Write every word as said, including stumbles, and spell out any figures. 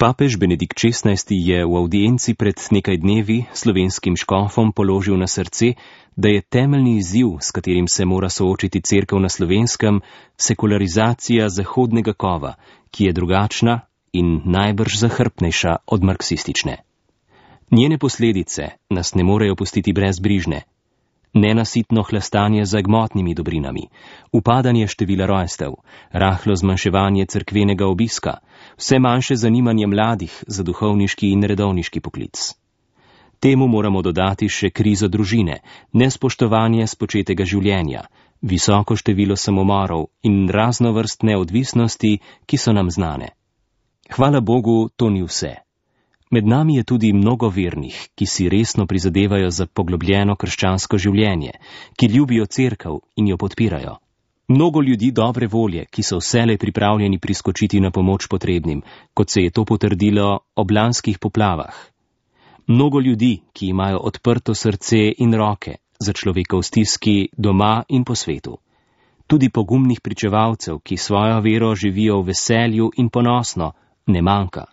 Papež Benedikt šestnajsti je v avdienci pred nekaj dnevi slovenskim škofom položil na srce, da je temeljni izziv, s katerim se mora soočiti Cerkev na Slovenskem, sekularizacija zahodnega kova, ki je drugačna in najbrž zahrbtnejša od marksistične. Njene posledice nas ne morejo pustiti brezbrižne. Nenasitno hlastanje za gmotnimi dobrinami, upadanje števila rojstev, rahlo zmanjševanje cerkvenega obiska, vse manjše zanimanje mladih za duhovniški in redovniški poklic. Temu moramo dodati še krizo družine, nespoštovanje spočetega življenja, visoko število samomorov in raznovrstne odvisnosti, ki so nam znane. Hvala Bogu, to ni vse. Med nami je tudi mnogo vernih, ki si resno prizadevajo za poglobljeno krščansko življenje, ki ljubijo cerkev in jo podpirajo. Mnogo ljudi dobre volje, ki so vselej pripravljeni priskočiti na pomoč potrebnim, kot se je to potrdilo ob lanskih poplavah. Mnogo ljudi, ki imajo odprto srce in roke za človeka v stiski doma in po svetu. Tudi pogumnih pričevalcev, ki svojo vero živijo v veselju in ponosno, ne manjka.